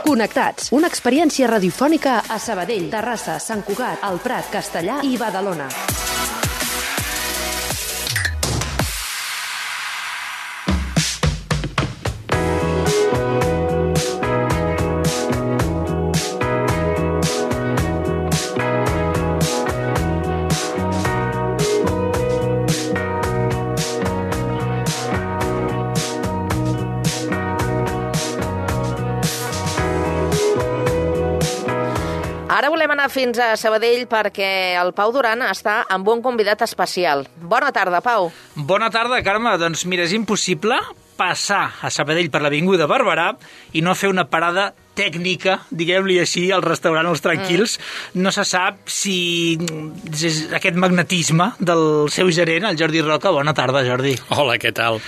Connectats, una experiència radiofònica a Sabadell, Terrassa, Sant Cugat, El Prat, Castellar i Badalona. Ara volem anar fins a Sabadell perquè el Pau Duran està amb un convidat especial. Bona tarda, Pau. Bona tarda, Carme. Doncs mira, és impossible passar a Sabadell per l'Avinguda Barberà i no fer una parada tècnica, diguem-li així, al restaurant Els Tranquils. No se sap si és aquest magnetisme del seu gerent, el Jordi Roca. Bona tarda, Jordi. Hola, què tal?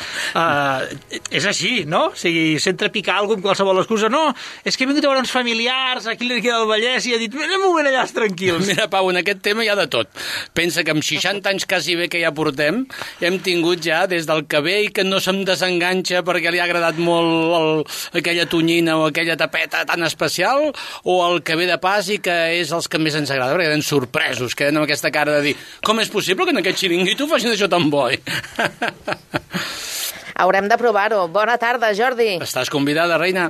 És així, no? O sigui, sempre picar alguna amb qualsevol excusa. No, és que he vingut a veure uns familiars aquí a l'Enriqueta del Vallès i ha dit, anem un moment allà als Tranquils. Mira, Pau, en aquest tema hi ha de tot. Pensa que amb 60 anys quasi bé que ja portem, hem tingut ja des del que ve i que no se'm desenganxa perquè li ha agradat molt aquella tonyina o aquella tapeta tan especial, o el que ve de pas i que és els que més ens agrada, perquè queden sorpresos, queden amb aquesta cara de dir com és possible que en aquest xiringuito facin això tan bo? Haurem de provar-ho. Bona tarda, Jordi. Estàs convidada, reina.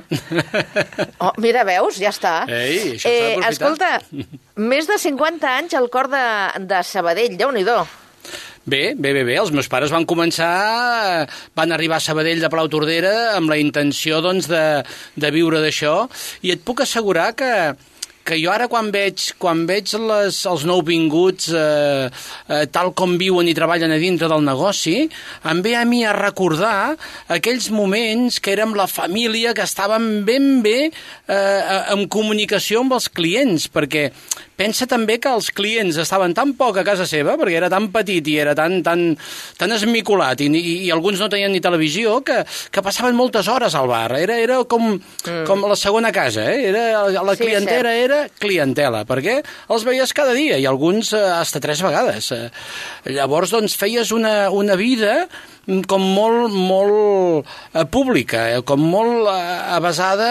Oh, mira, veus? Ja està. Ei, això s'ha d'aprofitar. Escolta, més de 50 anys al cor de Sabadell, Déu-n'hi-do. Bé, els meus pares van arribar a Sabadell de Palautordera amb la intenció, doncs, de viure d'això, i et puc assegurar que jo ara quan veig els nouvinguts tal com viuen i treballen a dintre del negoci, em ve a mi a recordar aquells moments que érem la família, que estàvem ben bé en comunicació amb els clients, perquè pensa també que els clients estaven tan poc a casa seva, perquè era tan petit i era tan esmicolat, i alguns no tenien ni televisió, que passaven moltes hores al bar. Era com la segona casa, la clientela era clientela, perquè els veies cada dia, i alguns hasta 3 vegades. Llavors, doncs, feies una vida com molt pública, com molt avasada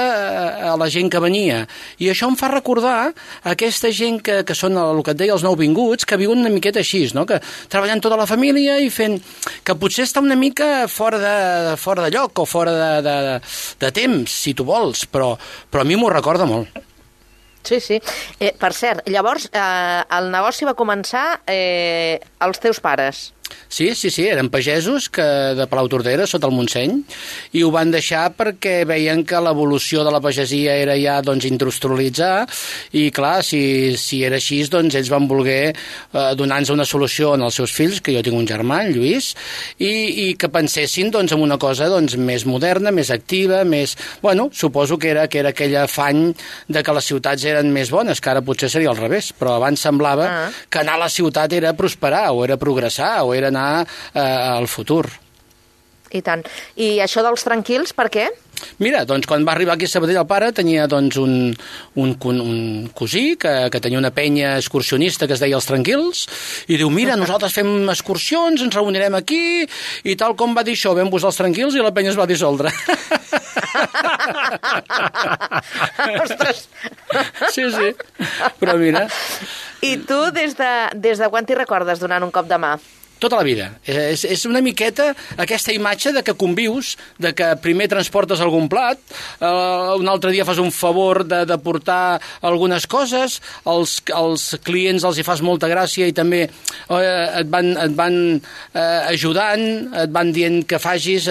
a la gent que venia. I això em fa recordar aquesta gent que són, el que et deia, els nouvinguts, que viuen una miqueta així, no? Que treballant tota la família i fent... que potser està una mica fora de lloc o fora de temps, si tu vols, però a mi m'ho recorda molt. Sí. Per cert, llavors, el negoci va començar als teus pares. Sí, eren pagesos de Palautordera, sota el Montseny, i ho van deixar perquè veien que l'evolució de la pagesia era ja, doncs, industrialitzar, i clar, si era així, doncs ells van voler donar-nos una solució als seus fills, que jo tinc un germà, en Lluís, i que pensessin, doncs, en una cosa, doncs, més moderna, més activa, més... Bueno, suposo que era aquell afany de que les ciutats eren més bones, que ara potser seria al revés, però abans semblava que anar a la ciutat era prosperar, o era progressar, o era anar al futur. I tant. I això dels Tranquils, per què? Mira, doncs quan va arribar aquí a Sabadell el pare tenia, doncs, un cosí que tenia una penya excursionista que es deia Els Tranquils, i diu, mira, nosaltres fem excursions, ens reunirem aquí, i tal com va dir això, vam posar Els Tranquils i la penya es va dissoldre. Ostres! Sí, però mira... I tu des de quan t'hi recordes donant un cop de mà? Tota la vida. És una miqueta aquesta imatge de que convius, de que primer transportes algun plat, un altre dia fas un favor de portar algunes coses, als clients els hi fas molta gràcia i també et van ajudant, et van dient que facis,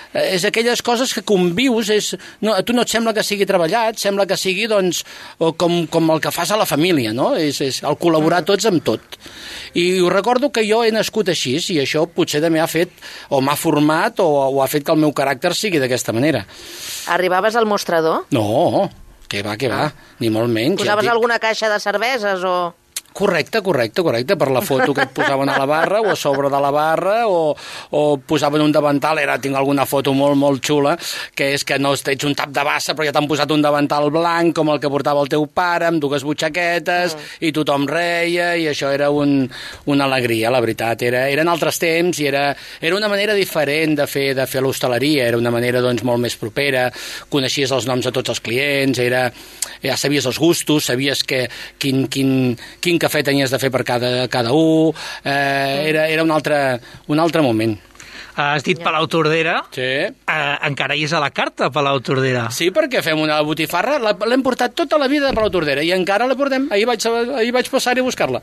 és aquelles coses que convius, a tu no et sembla que sigui treballat, sembla que sigui, doncs, com el que fas a la família, no? És el col·laborar tots amb tot. I ho recordo que jo he nascut així, i això potser també ha fet, o m'ha format, o ha fet que el meu caràcter sigui d'aquesta manera. Arribaves al mostrador? No, què va, ni molt menys. Posaves alguna caixa de cerveses o...? Correcte, per la foto que et posaven a la barra o a sobre de la barra o posaven un davantal, tinc alguna foto molt, molt xula, que és que no ets un tap de bassa però ja t'han posat un davantal blanc com el que portava el teu pare, amb 2 butxaquetes i tothom reia i això era una alegria, la veritat. Eren altres temps i era una manera diferent de fer l'hostaleria, era una manera doncs molt més propera, coneixies els noms de tots els clients, ja sabies els gustos, sabies quin cafè tenies de fer per cada un, era un altre moment. Has dit Palau Tordera. Sí. Encara hi és a la carta, Palau Tordera. Sí, perquè fem una botifarra, l'hem portat tota la vida de Palau Tordera i encara la portem. Ahir vaig passar-hi a buscar-la.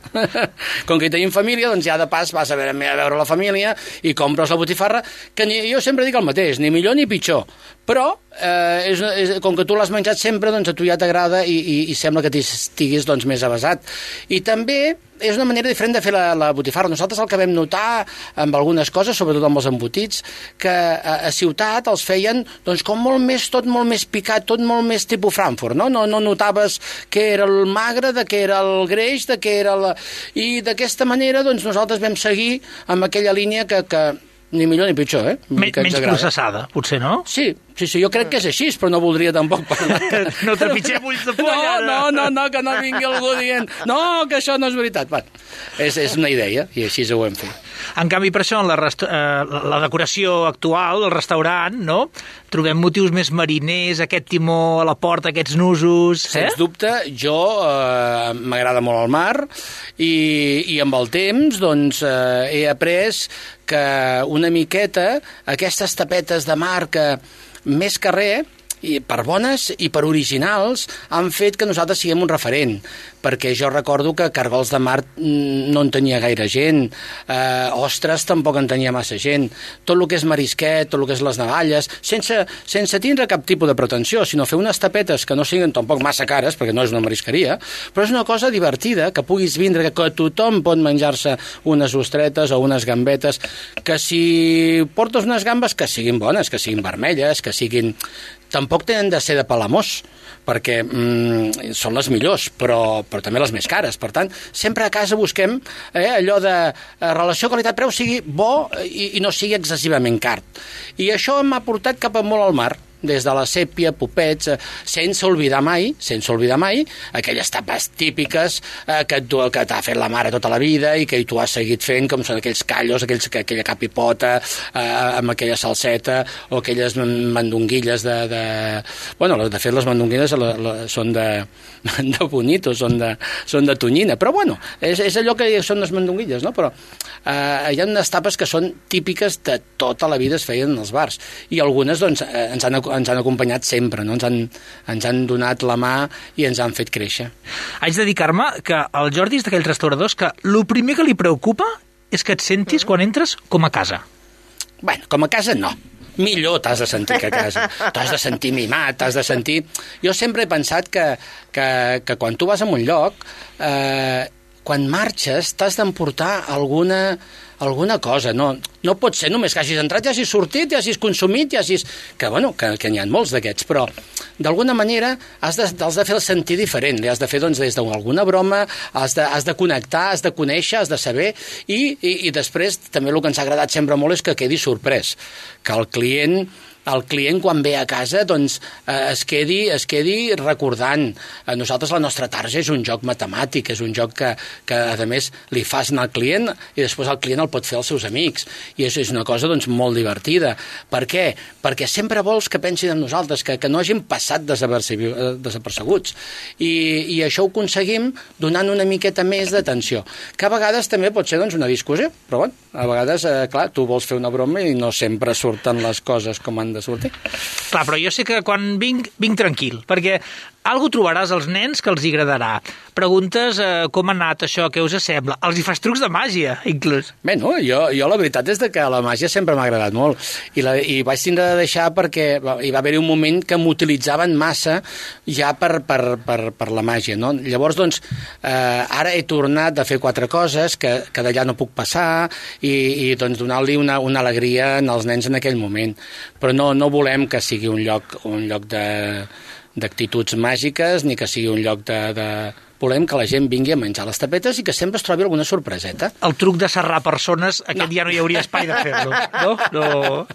Com que hi tenim família, doncs ja de pas vas a veure la família i compres la botifarra, que jo sempre dic el mateix, ni millor ni pitjor. Però, com que tu l'has menjat sempre, doncs a tu ja t'agrada i sembla que estiguis doncs, més avasat. I també és una manera diferent de fer la botifarra. Nosaltres el que vam notar amb algunes coses, sobretot amb els embotits, que a ciutat els feien doncs, com tot molt més picat, tot molt més tipus Frankfurt, no? No notaves que era el magre, que era el greix, que era I d'aquesta manera doncs, nosaltres vam seguir amb aquella línia que ni millor ni pitjor, Menys processada, potser, no? Sí, jo crec que és així, però no voldria tampoc parlar. No trepitgem ulls de poll, ara. No, que no vingui algú dient no, que això no és veritat. Bueno, és una idea, i així ho hem fet. En canvi, per això, en la decoració actual del restaurant, no? Trobem motius més mariners, aquest timó a la porta, aquests nusos... Sens dubte, jo m'agrada molt el mar i amb el temps doncs, he après que una miqueta aquestes tapetes de mar que més que res, i per bones i per originals, han fet que nosaltres siguem un referent, perquè jo recordo que Cargols de Mar no en tenia gaire gent, ostres tampoc en tenia massa gent, tot el que és marisquet, tot el que és les navalles, sense tindre cap tipus de pretensió, sinó fer unes tapetes que no siguin tampoc massa cares, perquè no és una marisqueria, però és una cosa divertida, que puguis vindre, que tothom pot menjar-se unes ostretes o unes gambetes, que si portes unes gambes que siguin bones, que siguin vermelles, que siguin... Tampoc tenen de ser de Palamós, perquè són les millors, però també les més cares. Per tant, sempre a casa busquem allò de relació qualitat-preu sigui bo i no sigui excessivament car. I això m'ha portat cap a molt al mar, des de la sèpia, popets, sense oblidar mai aquelles tapes típiques que t'ha fet la mare tota la vida i que tu has seguit fent, com són aquells callos, aquella capipota amb aquella salseta o aquelles mandonguilles Bueno, de fet, les mandonguilles són de bonito, són de tonyina, però bueno, és allò que són les mandonguilles, no? Però hi ha unes tapes que són típiques de tota la vida, es feien en els bars, i algunes doncs ens han acompanyat sempre, no? Ens han donat la mà i ens han fet créixer. Haig de dir, Carme, que el Jordi és d'aquells restauradors que el primer que li preocupa és que et sentis quan entres com a casa. Bueno, com a casa no. Millor t'has de sentir que a casa. T'has de sentir mimat, t'has de sentir... Jo sempre he pensat que quan tu vas a un lloc, quan marxes t'has d'emportar alguna cosa. No pot ser només que hagis entrat, ja hagis sortit, ja hagis consumit, ja hagis... Que n'hi ha molts d'aquests, però d'alguna manera has de fer el sentir diferent. Li has de fer doncs, des d'alguna broma, has de connectar, has de conèixer, has de saber, i després també el que ens ha agradat sempre molt és que quedi sorprès, que el client quan ve a casa doncs, es quedi recordant. Nosaltres la nostra tarja és un joc matemàtic, és un joc que a més li fas al client i després el client el pot fer als seus amics, i és una cosa doncs, molt divertida. Per què? Perquè sempre vols que pensin en nosaltres, que no hagin passat desapercebuts, i això ho aconseguim donant una miqueta més d'atenció, que a vegades també pot ser doncs, una discussió, però bueno, a vegades, clar, tu vols fer una broma i no sempre surten les coses com han de sortir. Clar, però jo sé que quan vinc tranquil, perquè algú trobaràs als nens que els hi agradarà. Preguntes com ha anat això, què us sembla. Els hi fas trucs de màgia, inclús. Bé, no, jo la veritat és que la màgia sempre m'ha agradat molt, i vaig tindre de deixar perquè hi va haver un moment que m'utilitzaven massa ja per la màgia, no? Llavors, doncs, ara he tornat a fer 4 coses que d'allà no puc passar i doncs donar-li una alegria als nens en aquell moment. Però no volem que sigui un lloc d'actituds màgiques, ni que sigui un lloc volem que la gent vingui a menjar les tapetes i que sempre es trobi alguna sorpreseta. El truc de serrar persones, aquest ja no hi hauria espai de fer-lo, no?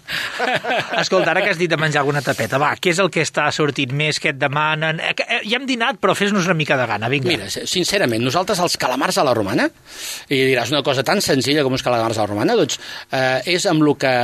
Escolta, ara que has dit de menjar alguna tapeta, va, què és el que està sortint més, que et demanen? Ja hem dinat, però fes-nos una mica de gana, vinga. Mira, sincerament, nosaltres els calamars a la romana, i diràs una cosa tan senzilla com uns calamars a la romana, doncs és amb el que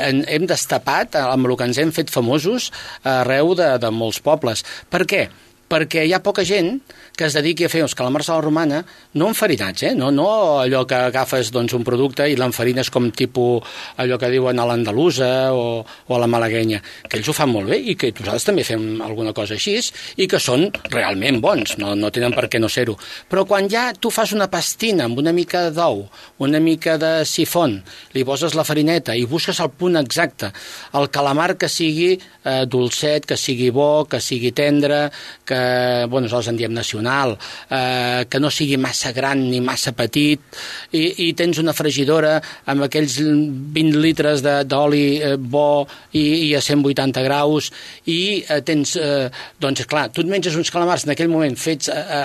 hem destapat, amb el que ens hem fet famosos arreu de molts pobles. Per què? Perquè hi ha poca gent que es dediqui a fer uns calamars a la romana, no enfarinats, no allò que agafes un producte i l'enfarines com tipus allò que diuen a l'andalusa o a la malaguenya, que ells ho fan molt bé i que nosaltres també fem alguna cosa així i que són realment bons, no tenen per què no ser-ho. Però quan ja tu fas una pastina amb una mica d'ou, una mica de sifon, li poses la farineta i busques el punt exacte, el calamar que sigui dolcet, que sigui bo, que sigui tendre, que nosaltres en diem nacional, que no sigui massa gran ni massa petit, i tens una fregidora amb aquells 20 litres d'oli bo i a 180 graus, i tens, doncs clar, tu et menges uns calamars en aquell moment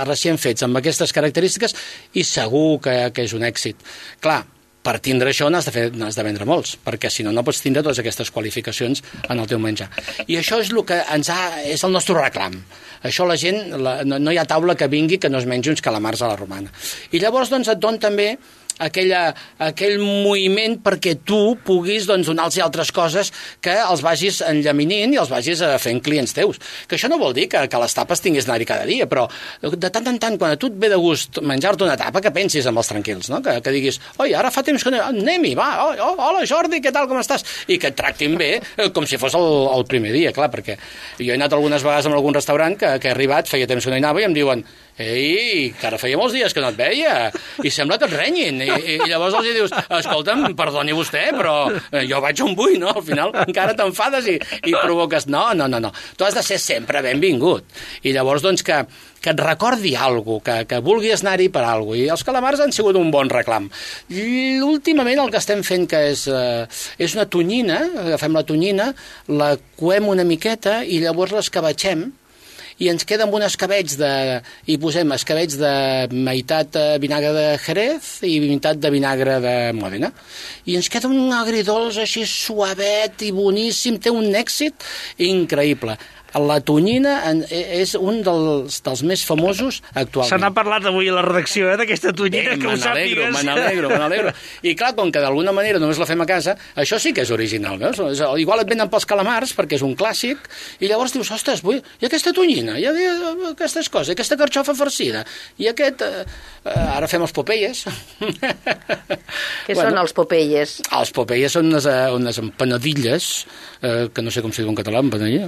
recient fets amb aquestes característiques i segur que és un èxit. Clar, per tindre això n'has de vendre molts, perquè si no, no pots tindre totes aquestes qualificacions en el teu menjar. I això és el que és el nostre reclam. Això la gent, no hi ha taula que vingui que no es mengi uns calamars a la romana. I llavors doncs et don també aquell moviment perquè tu puguis donar-los altres coses que els vagis enllaminint i els vagis fent clients teus. Que això no vol dir que les tapes tinguis d'anar-hi cada dia, però de tant en tant, quan a tu et ve de gust menjar-te una tapa, que pensis amb els tranquils, no? Que diguis, oi, ara fa temps que no... Anem-hi, va, hola Jordi, què tal, com estàs? I que et tractin bé com si fos el primer dia, clar, perquè jo he anat algunes vegades a algun restaurant que he arribat, feia temps que no hi anava i em diuen, ei, que ara feia molts dies que no et veia i sembla que et renyin i llavors els dius, escolta'm, perdoni vostè però jo vaig on vull, no? Al final encara t'enfades i provoques no, tu has de ser sempre benvingut i llavors doncs que et recordi alguna cosa, que vulguis anar-hi per alguna cosa, i els calamars han sigut un bon reclam. I últimament el que estem fent que és una tonyina, agafem la tonyina, la coem una miqueta i llavors l'escabatxem i ens queda amb un escabetx i posem escabetx de meitat vinagre de Jerez i meitat de vinagre de Mòdena. I ens queda un agridolç així suavet i boníssim, té un èxit increïble. La tonyina és un dels més famosos actualment. Se n'ha parlat avui a la redacció, d'aquesta tonyina, que ho sàpigues. Me n'alegro. I clar, com que d'alguna manera només la fem a casa, això sí que és original, veus? Igual et venen pels calamars, perquè és un clàssic, i llavors dius, ostres, i aquesta tonyina, i aquestes coses, i aquesta carxofa farcida, i aquest... Ara fem els Popeyes. Què són els Popeyes? Els Popeyes són unes empanadilles, que no sé com s'hi diu en català, empanadilla.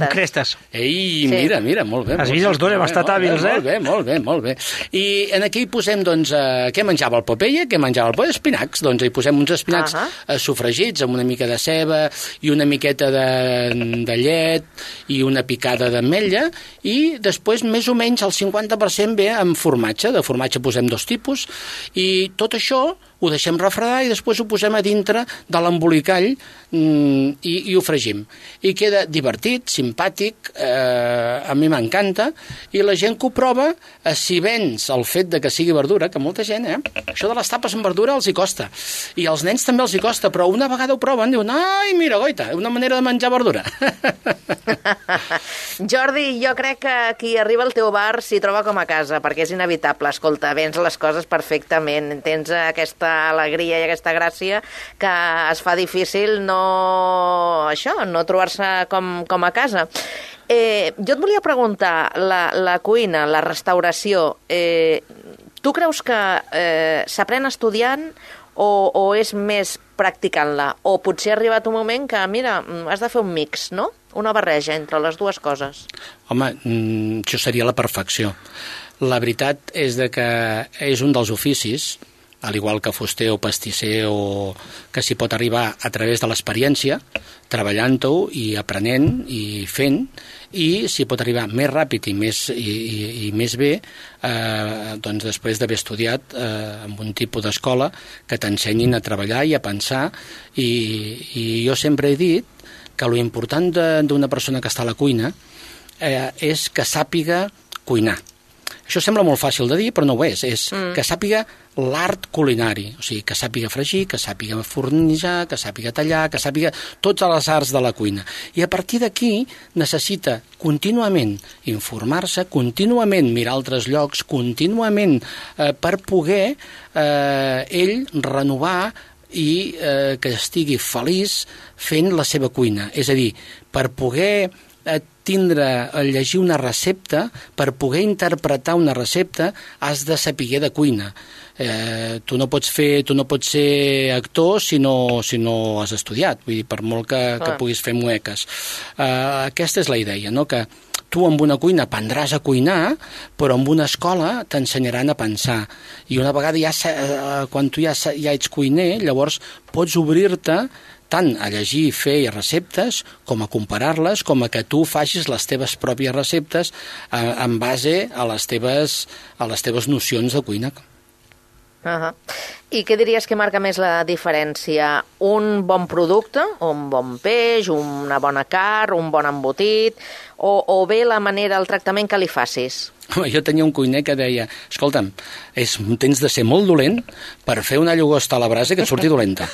Crestes. Ei, mira, molt bé. Has vist els dos, hem estat hàbils, Molt bé. I en aquí hi posem, doncs, què menjava el Popeye? Què menjava el Popeye? Espinacs. Doncs hi posem uns espinacs sofregits amb una mica de ceba i una miqueta de llet i una picada d'ametlla i després més o menys el 50% ve amb formatge. De formatge posem 2 tipus i tot això ho deixem refredar i després ho posem a dintre de l'embolicall i ho fregim. I queda divertit, simpàtic, a mi m'encanta, i la gent que ho prova, si vens el fet de que sigui verdura, que molta gent, això de les tapes amb verdura els hi costa. I als nens també els hi costa, però una vegada ho proven, diuen, ai, mira, goita, una manera de menjar verdura. Jordi, jo crec que qui arriba al teu bar s'hi troba com a casa, perquè és inevitable. Escolta, vens les coses perfectament, tens aquesta alegria i aquesta gràcia que es fa difícil no trobar-se com a casa. Jo et volia preguntar, la cuina, la restauració, tu creus que s'aprèn estudiant o és més practicant-la? O potser ha arribat un moment que, mira, has de fer un mix, no? Una barreja entre les dues coses. Home, això seria la perfecció. La veritat és que és un dels oficis, al igual que fuster o pastisser, o que s'hi pot arribar a través de l'experiència, treballant-ho i aprenent i fent, i s'hi pot arribar més ràpid i més bé doncs després d'haver estudiat en un tipus d'escola que t'ensenyin a treballar i a pensar, i jo sempre he dit que l'important d'una persona que està a la cuina és que sàpiga cuinar. això sembla molt fàcil de dir, però no ho és que sàpiga l'art culinari, o sigui, que sàpiga fregir, que sàpiga fornejar, que sàpiga tallar, que sàpiga totes les arts de la cuina. I a partir d'aquí necessita contínuament informar-se, contínuament mirar altres llocs, contínuament per poder ell renovar i que estigui feliç fent la seva cuina. És a dir, per poder llegir una recepta, per poder interpretar una recepta, has de saber de cuina. Tu no pots ser actor si no has estudiat, vull dir, per molt que puguis fer mueques. Aquesta és la idea, no? Que tu amb una cuina aprendràs a cuinar, però amb una escola t'ensenyaran a pensar. I una vegada quan tu ja ets cuiner, llavors pots obrir-te tant a llegir i fer receptes, com a comparar-les, com a que tu facis les teves pròpies receptes en base a les teves nocions de cuina. I què diries que marca més la diferència? Un bon producte, un bon peix, una bona carn, un bon embotit, o bé la manera, el tractament que li facis? Jo tenia un cuiner que deia, escolta'm, tens de ser molt dolent per fer una llagosta a la brasa que et surti dolenta.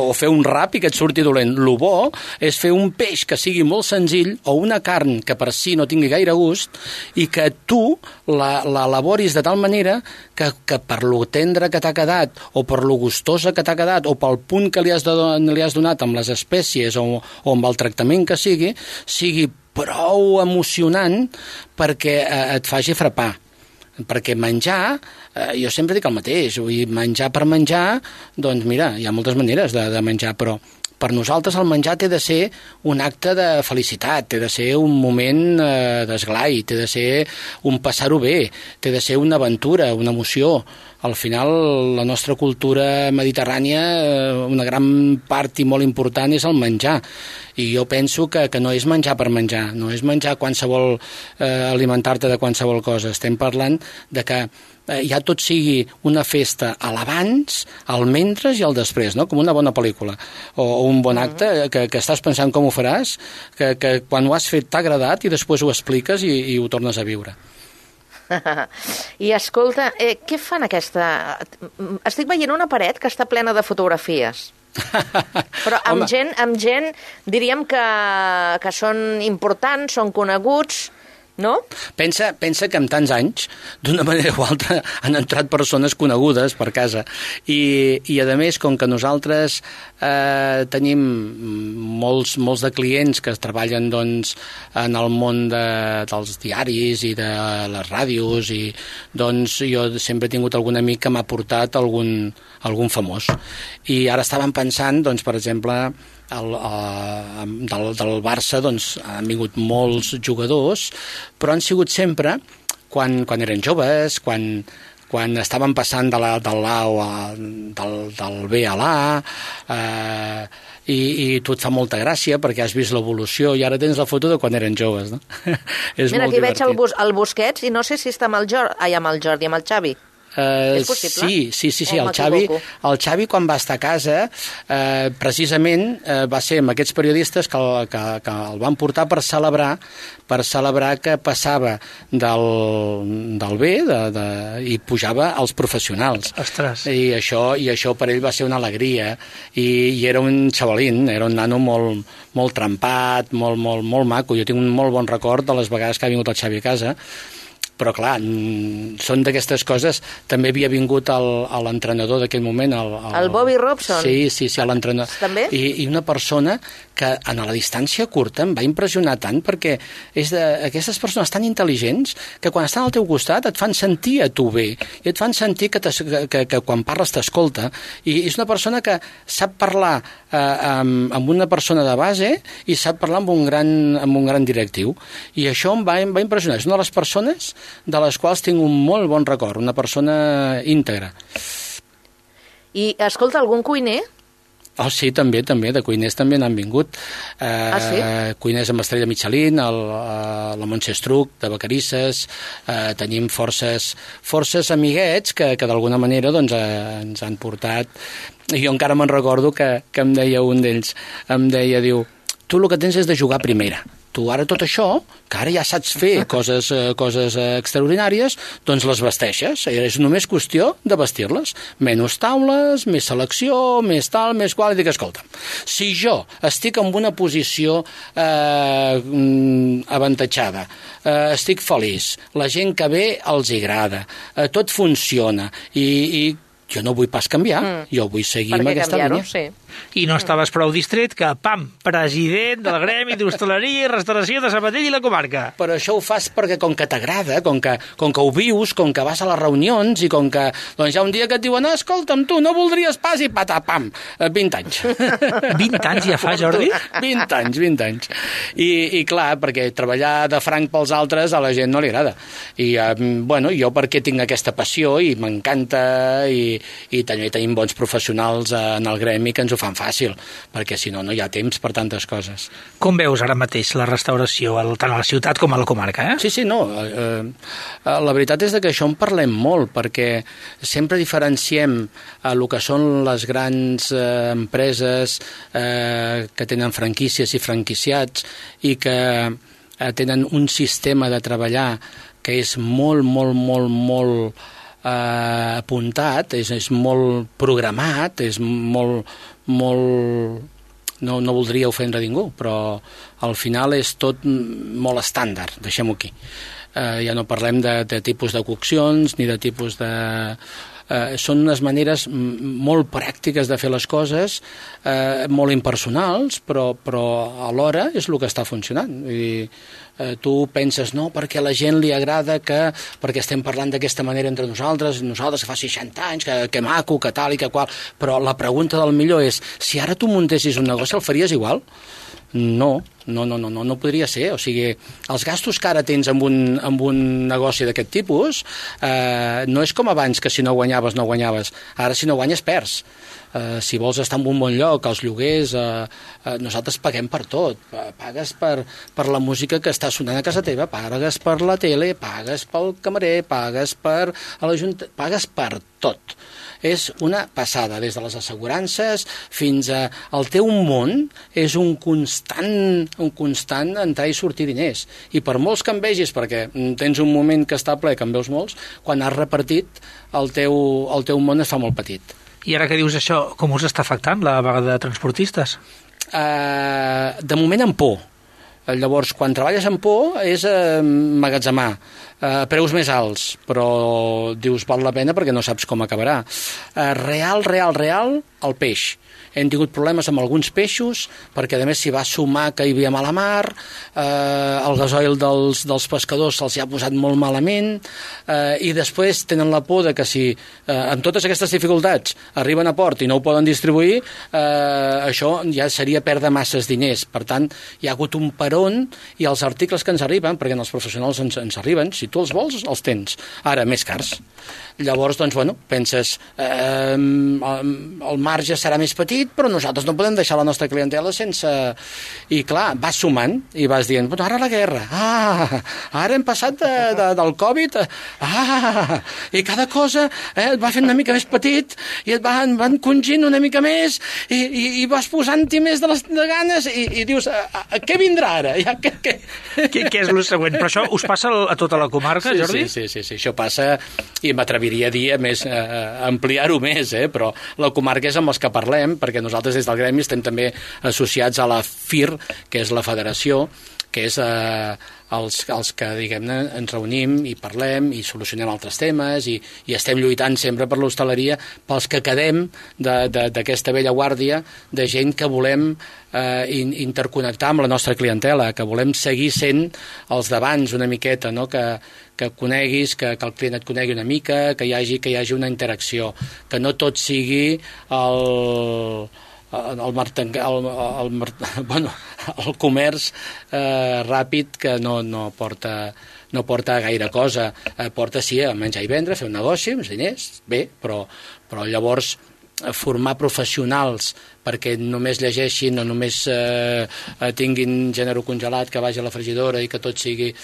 O fer un rap i que et surti dolent. Lo bo és fer un peix que sigui molt senzill o una carn que per si no tingui gaire gust i que tu l'elaboris de tal manera que per lo tendre que t'ha quedat o per lo gustosa que t'ha quedat o pel punt que li has donat amb les espècies o amb el tractament que sigui prou emocionant perquè et faci frapar. Perquè menjar, jo sempre dic el mateix, vull dir, menjar per menjar, doncs mira, hi ha moltes maneres de menjar, però per nosaltres el menjar té de ser un acte de felicitat, té de ser un moment d'esglai, té de ser un passar-ho bé, té de ser una aventura, una emoció. Al final, la nostra cultura mediterrània, una gran part i molt important és el menjar. I jo penso que no és menjar per menjar, no és menjar qualsevol, alimentar-te de qualsevol cosa. Estem parlant de que ja tot sigui una festa a l'abans, al mentre i al després, no? Com una bona pel·lícula o un bon acte que estàs pensant com ho faràs, que quan ho has fet t'ha agradat i després ho expliques i ho tornes a viure. I escolta, què fan aquesta... Estic veient una paret que està plena de fotografies. Però amb gent diríem que són importants, són coneguts, no? Pensa que en tants anys, d'una manera o altra, han entrat persones conegudes per casa. I a més, com que nosaltres tenim molts de clients que treballen doncs, en el món dels diaris i de les ràdios, i doncs jo sempre he tingut algun amic que m'ha portat algun famós. I ara estàvem pensant, doncs, per exemple, del Barça doncs, han vingut molts jugadors, però han sigut sempre quan eren joves, quan estaven passant del B a l'A, i tu et fa molta gràcia perquè has vist l'evolució i ara tens la foto de quan eren joves, no? Mira, aquí veig el Busquets i no sé si està amb el Jordi, amb el Xavi. És possible? Sí, el Xavi quan va estar a casa precisament va ser amb aquests periodistes que el van portar per celebrar que passava del B i pujava als professionals. Ostres. I això per ell va ser una alegria i era un xavalín, era un nano molt trempat, molt maco. Jo tinc un molt bon record de les vegades que ha vingut el Xavi a casa. Però clar, són d'aquestes coses. També havia vingut l'entrenador d'aquell moment, el Bobby Robson. Sí, l'entrenador. També? I una persona que a la distància curta em va impressionar tant perquè és d'aquestes persones tan intel·ligents que quan estan al teu costat et fan sentir a tu bé i et fan sentir que quan parles t'escolta, i és una persona que sap parlar amb una persona de base i sap parlar amb un gran directiu, i això em va impressionar. És una de les persones de les quals tinc un molt bon record, una persona íntegra. I escolta, algun cuiner? Oh, sí, també, de cuiners també n'han vingut. Sí? Cuiners amb estrella Michelin, la Montse Estruc, de Vacarisses, tenim forces amiguets que d'alguna manera doncs, ens han portat. I jo encara me'n recordo que em deia un d'ells, diu, tu el que tens és de jugar a primera. tu ara tot això, que ara ja saps fer coses extraordinàries, doncs les vesteixes. És només qüestió de vestir-les. Menys taules, més selecció, més tal, més qual. I dic, escolta, si jo estic en una posició avantatjada, estic feliç, la gent que ve els agrada, tot funciona i jo no vull pas canviar, jo vull seguir amb aquesta línia. Sí. I no estaves prou distret que, pam, president del Gremi d'Hostaleria i Restauració de Sabadell i la comarca. Però això ho fas perquè com que t'agrada, com que ho vius, com que vas a les reunions i com que doncs hi ha un dia que et diuen escolta'm, tu no voldries pas i patapam, 20 anys. 20 anys ja fa, Jordi? 20 anys. I clar, perquè treballar de franc pels altres a la gent no li agrada. I, jo perquè tinc aquesta passió i m'encanta i també tenim bons professionals en el gremi que ens ho fan fàcil, perquè si no, no hi ha temps per tantes coses. Com veus ara mateix la restauració, tant a la ciutat com a la comarca, eh? Sí, no. La veritat és que això en parlem molt, perquè sempre diferenciem el que són les grans empreses que tenen franquícies i franquiciats i que tenen un sistema de treballar que és molt apuntat, és molt programat, és molt no voldria ofendre ningú, però al final és tot molt estàndard, deixem-ho aquí. Ja no parlem de tipus de coccions ni de tipus de... són unes maneres molt pràctiques de fer les coses, molt impersonals, però alhora és el que està funcionant. I tu penses, no, perquè a la gent li agrada perquè estem parlant d'aquesta manera entre nosaltres que fa 60 anys, que maco, que tal i que qual, però la pregunta del millor és, si ara tu muntessis un negoci, el faries igual? No podria ser. O sigui, els gastos que ara tens amb un negoci d'aquest tipus no és com abans, que si no guanyaves, no guanyaves. Ara, si no guanyes, perds. Si vols estar en un bon lloc, els lloguers, nosaltres paguem per tot. Pagues per la música que està sonant a casa teva, pagues per la tele, pagues pel camarer, pagues per pagues per tot. És una passada, des de les assegurances fins al teu món, és un constant entrar i sortir diners. I per molts que en vegis, perquè tens un moment que està ple, que en veus molts, quan has repartit, el teu món es fa molt petit. I ara que dius això, com us està afectant la vaga de transportistes? De moment amb por. Llavors, quan treballes amb por és emmagatzemar, preus més alts, però dius val la pena perquè no saps com acabarà. Real, el peix. Hem tingut problemes amb alguns peixos, perquè a més s'hi va sumar que hi havia mala mar, el gasoil dels pescadors se'ls ha posat molt malament, i després tenen la por de que si amb totes aquestes dificultats arriben a port i no ho poden distribuir, això ja seria perdre masses diners. Per tant, hi ha hagut un peron i els articles que ens arriben, perquè els professionals ens arriben, si tu els vols, els tens. Ara, més cars. Llavors, doncs, penses, el marge serà més petit, però nosaltres no podem deixar la nostra clientela sense... I clar, vas sumant i vas dient, ara la guerra, ara hem passat del Covid, i cada cosa et va fent una mica més petit i et van congint una mica més i vas posant-hi més de ganes i dius, què vindrà ara? Què és el següent? Però això us passa a tota la comarca, Jordi? Sí, això passa i m'atreviria a dir ampliar-ho més, però la comarca és amb els que parlem, perquè nosaltres des del Gremi estem també associats a la FIR, que és la federació, que és els que, diguem-ne, ens reunim i parlem i solucionem altres temes i estem lluitant sempre per l'hostaleria, pels que quedem d'aquesta vella guàrdia de gent que volem interconnectar amb la nostra clientela, que volem seguir sent els d'abans una miqueta, no? Que coneguis, que el client et conegui una mica, que hi hagi una interacció, que no tot sigui el comerç ràpid que no porta gaire cosa. Porta, sí, a menjar i vendre, fer un negoci, uns diners, bé, però llavors formar professionals perquè només llegeixin o només tinguin gènere congelat que vagi a la fregidora i que tot sigui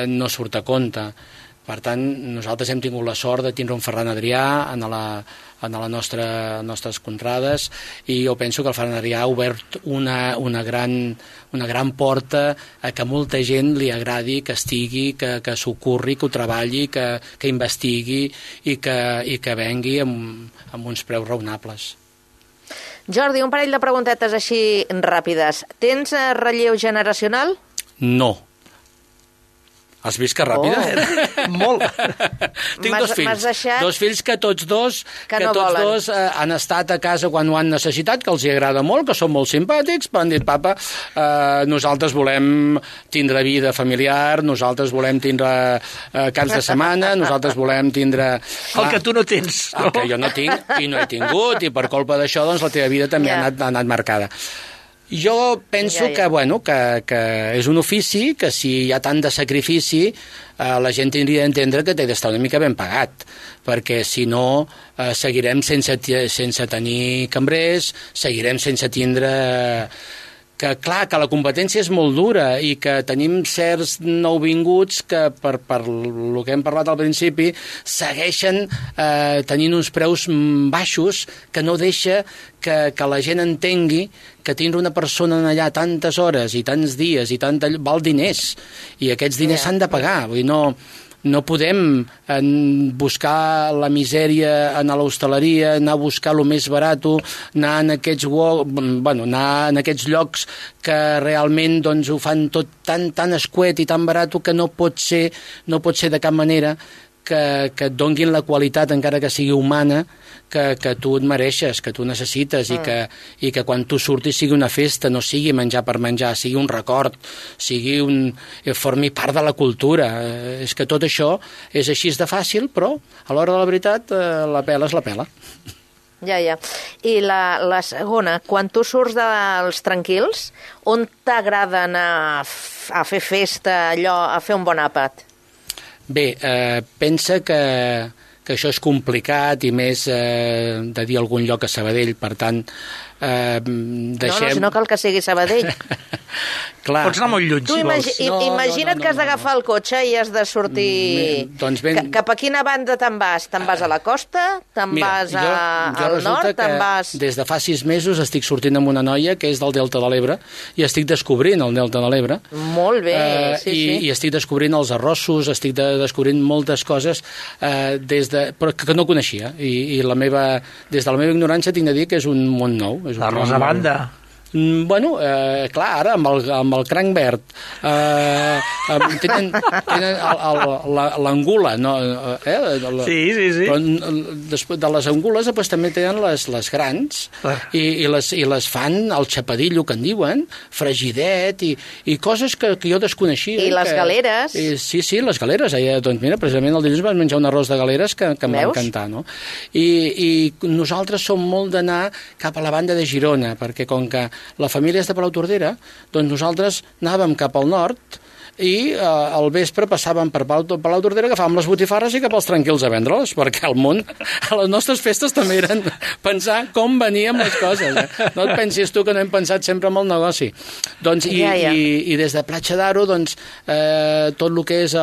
no surt a compte. Per tant, nosaltres hem tingut la sort de tindre un Ferran Adrià en les nostres contrades, i jo penso que el Ferran Adrià ha obert una gran porta a que molta gent li agradi, que estigui, que s'ocorri, que ho treballi, que investigui i que vengui amb uns preus raonables. Jordi, un parell de preguntetes així ràpides. Tens relleu generacional? No. Has vist que ràpida? Molt. Tinc dos fills. Dos fills que tots dos han estat a casa quan ho han necessitat, que els hi agrada molt, que són molt simpàtics, però han dit, papa, nosaltres volem tindre vida familiar, nosaltres volem tindre caps de setmana, nosaltres volem tindre... El que tu no tens. El que jo no tinc i no he tingut, i per culpa d'això doncs, la teva vida també ha anat marcada. Jo penso que és un ofici que si hi ha tant de sacrifici la gent tindria d'entendre que té d'estar una mica ben pagat, perquè si no seguirem sense tenir cambrers, seguirem sense tindre... que clar, que la competència és molt dura i que tenim certs nouvinguts que per el que hem parlat al principi segueixen tenint uns preus baixos que no deixa que la gent entengui que tindre una persona allà tantes hores i tants dies i val diners, i aquests diners s'han de pagar. Vull dir, no podem buscar la misèria en l'hostaleria, anar a buscar el més barat, anar en aquests llocs que realment doncs, ho fan tot tan escuet i tan barat que no pot ser de cap manera que et donguin la qualitat, encara que sigui humana, que tu et mereixes, que tu necessites, i que quan tu surtis sigui una festa, no sigui menjar per menjar, sigui un record, formi part de la cultura. És que tot això és així de fàcil, però a l'hora de la veritat la pela és la pela. Ja. I la segona, quan tu surts dels tranquils, on t'agrada anar a fer festa, a fer un bon àpat? Bé, pensa que això és complicat, i més de dir algun lloc a Sabadell, per tant, deixem... No cal que sigui Sabadell. Clar. Pots anar molt lluny, si vols. Imagina't que has d'agafar el cotxe i has de sortir... Cap a quina banda te'n vas? Te'n vas a la costa? Te'n vas al nord? Te'n vas... Des de fa 6 mesos estic sortint amb una noia que és del Delta de l'Ebre, i estic descobrint el Delta de l'Ebre. Molt bé, sí. I estic descobrint els arrossos, estic descobrint moltes coses però que no coneixia, i des de la meva ignorància tinc de dir que és un món nou. Arròs a banda. Bueno, clar, ara amb el cranc verd tenen l'angula, no? Sí. Però després de les angules també tenen les grans, i les fan al xapadillo, que en diuen, fregidet, i coses que jo desconeixia. I les galeres. Sí, les galeres. Doncs mira, precisament el dilluns vam menjar un arròs de galeres que em va encantar, no? I nosaltres som molt d'anar cap a la banda de Girona, perquè com que la família és de Palautordera, doncs nosaltres anàvem cap al nord i al vespre passàvem per Palautordera, agafàvem les botifarres i cap als tranquils a vendre-les, perquè al món, a les nostres festes també eren pensar com veníem les coses. No et pensis tu que no hem pensat sempre en el negoci. Doncs, i des de Platja d'Aro, doncs, tot el que és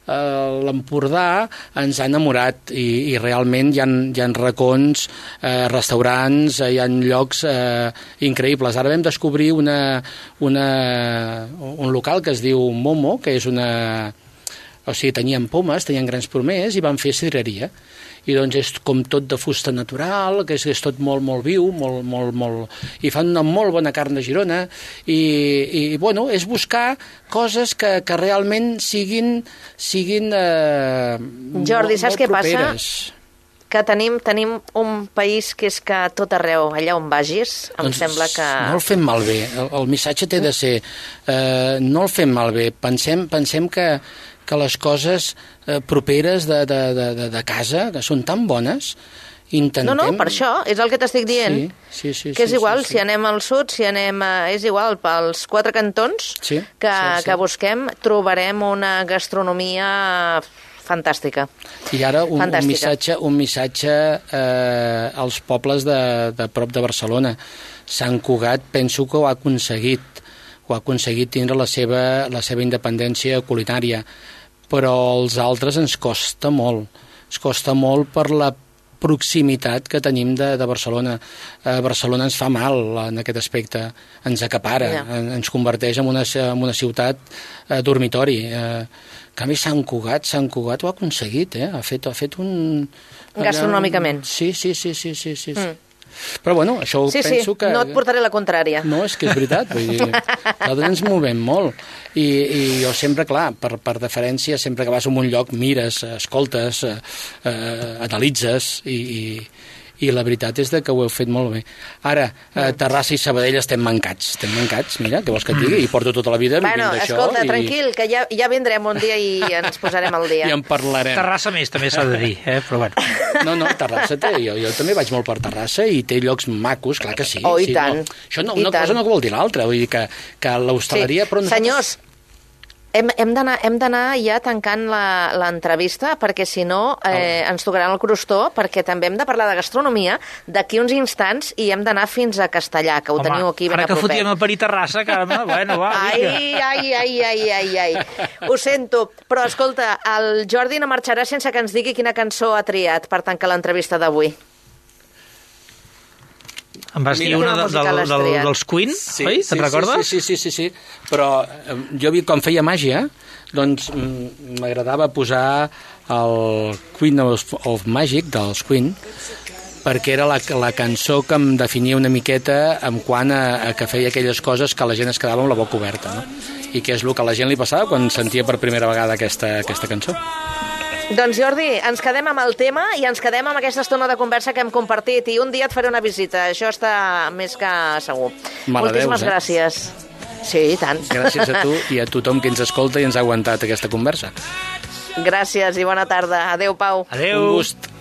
l'Empordà ens ha enamorat, i realment hi ha racons, restaurants, hi ha llocs increïbles. Ara vam descobrir un local que es diu Momo, que és tenien pomes, tenien grans pomers, i van fer sidreria. I doncs és com tot de fusta natural, que és tot molt, molt viu, i fan una molt bona carn de Girona, i bueno, és buscar coses que realment siguin Jordi, saps què passa? Que tenim un país que és que tot arreu, allà on vagis, em sembla que... No el fem malbé, el missatge té de ser... no el fem malbé, pensem que les coses properes de casa, que són tan bones, intentem... No, per això, és el que t'estic dient. Sí. Que és igual, si anem al sud, si anem... És igual, pels 4 cantons que busquem, trobarem una gastronomia fantàstica. I ara un missatge als pobles de prop de Barcelona. Sant Cugat penso que ho ha aconseguit tindre la seva independència culinària, però els altres ens costa molt. Ens costa molt per la proximitat que tenim de Barcelona. Barcelona ens fa mal en aquest aspecte, ens acapara, ens converteix en una ciutat dormitori. En canvi, Sant Cugat ho ha aconseguit, ha fet un... Gastronòmicament. Sí. Però bueno, això penso que... No et portaré la contrària. No, és que és veritat, vull dir, nosaltres ens movem molt i jo sempre, clar, per deferència, sempre que vas a un lloc mires, escoltes, analitzes i la veritat és que ho heu fet molt bé. Ara, Terrassa i Sabadell estem mancats, mira, què vols que et digui? I porto tota la vida vivint d'això. Escolta, tranquil, que ja vindrem un dia i ens posarem al dia. I en parlarem. Terrassa més, també s'ha de dir, però bueno. No, Terrassa té, jo també vaig molt per Terrassa i té llocs macos, clar que sí. Oh, i tant. Això una cosa no vol dir l'altra, vull dir que l'hostaleria... Senyors, hem d'anar ja tancant l'entrevista, perquè si no ens tocaran el crostó, perquè també hem de parlar de gastronomia d'aquí uns instants i hem d'anar fins a Castellà, que ho teniu aquí ben a propet. Ara que fotíem a parir Terrassa, Carme, bueno, va, Ai. Ho sento, però escolta, el Jordi no marxarà sense que ens digui quina cançó ha triat per tancar l'entrevista d'avui. Em vas dir una dels Queen, oi? Te'n recordes? Sí. Però jo, quan feia màgia, doncs m'agradava posar el Queen of Magic dels Queen, perquè era la cançó que em definia una miqueta en quant a que feia aquelles coses que la gent es quedava amb la boca oberta, no? I que és el que a la gent li passava quan sentia per primera vegada aquesta cançó. Doncs Jordi, ens quedem amb el tema i ens quedem amb aquesta estona de conversa que hem compartit i un dia et faré una visita, això està més que segur. Moltíssimes gràcies. Sí, i tant. Gràcies a tu i a tothom que ens escolta i ens ha aguantat aquesta conversa. Gràcies i bona tarda. Adéu, Pau. Adéu. Un gust.